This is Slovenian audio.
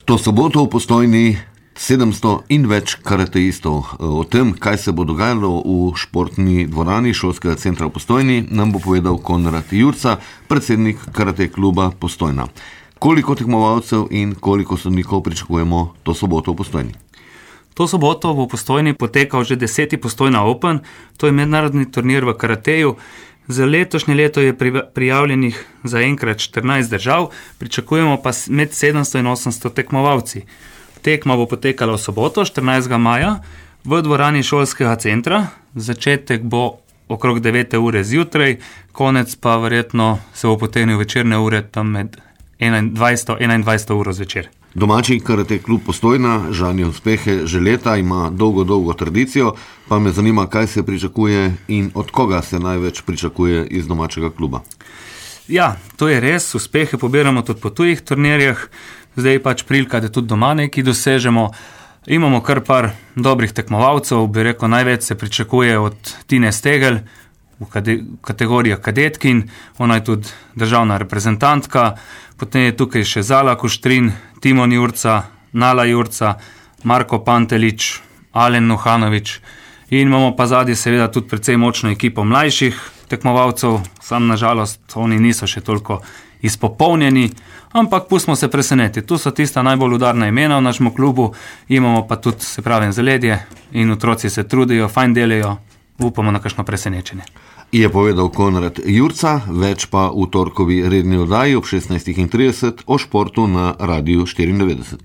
To soboto v Postojni 700 in več karateistov. O tem, kaj se bo dogajalo v športni dvorani šolskega centra v Postojni, nam bo povedal Konrad Jurca, predsednik karate kluba Postojna. Koliko tekmovalcev in koliko sodnikov pričakujemo to soboto v Postojni? To soboto bo v Postojni potekal že 10. Postojna Open, to je mednarodni turnir v karateju. Za letošnje leto je prijavljenih zaenkrat 14 držav, pričakujemo pa med 700 in 800 tekmovalci. Tekma bo potekala v soboto, 14. maja, v dvorani šolskega centra. Začetek bo okrog 9. ure zjutraj, konec pa verjetno se bo potegnil večerne ure tam med 21 uro zvečer. Domači karate klub Postojna žanje uspehe že leta, ima dolgo tradicijo, pa me zanima, kaj se pričakuje in od koga se največ pričakuje iz domačega kluba. Ja, to je res, uspehe pobiramo tudi po tujih turnirjih, zdaj je pač prilika, da tudi doma nekaj dosežemo. Imamo kar par dobrih tekmovalcev, bi rekel, največ se pričakuje od Tine Stegel v kategorijah kadetkin, ona je tudi državna reprezentantka, potem je tukaj še Zala Kuštrin, Timon Jurca, Nala Jurca, Marko Pantelič, Alen Nuhanovič in imamo pa zadnji seveda tudi precej močno ekipo mlajših tekmovalcev, sam nažalost oni niso še toliko izpopolnjeni, ampak pustimo se preseneti. Tu so tista najbolj udarna imena v našem klubu, imamo pa tudi, se pravim, zaledje in otroci se trudijo, fajn delajo, upamo na kakšno presenečenje. Je povedal Konrad Jurca, več pa v torkovi redni oddaji ob 16:30 o športu na Radiu 94.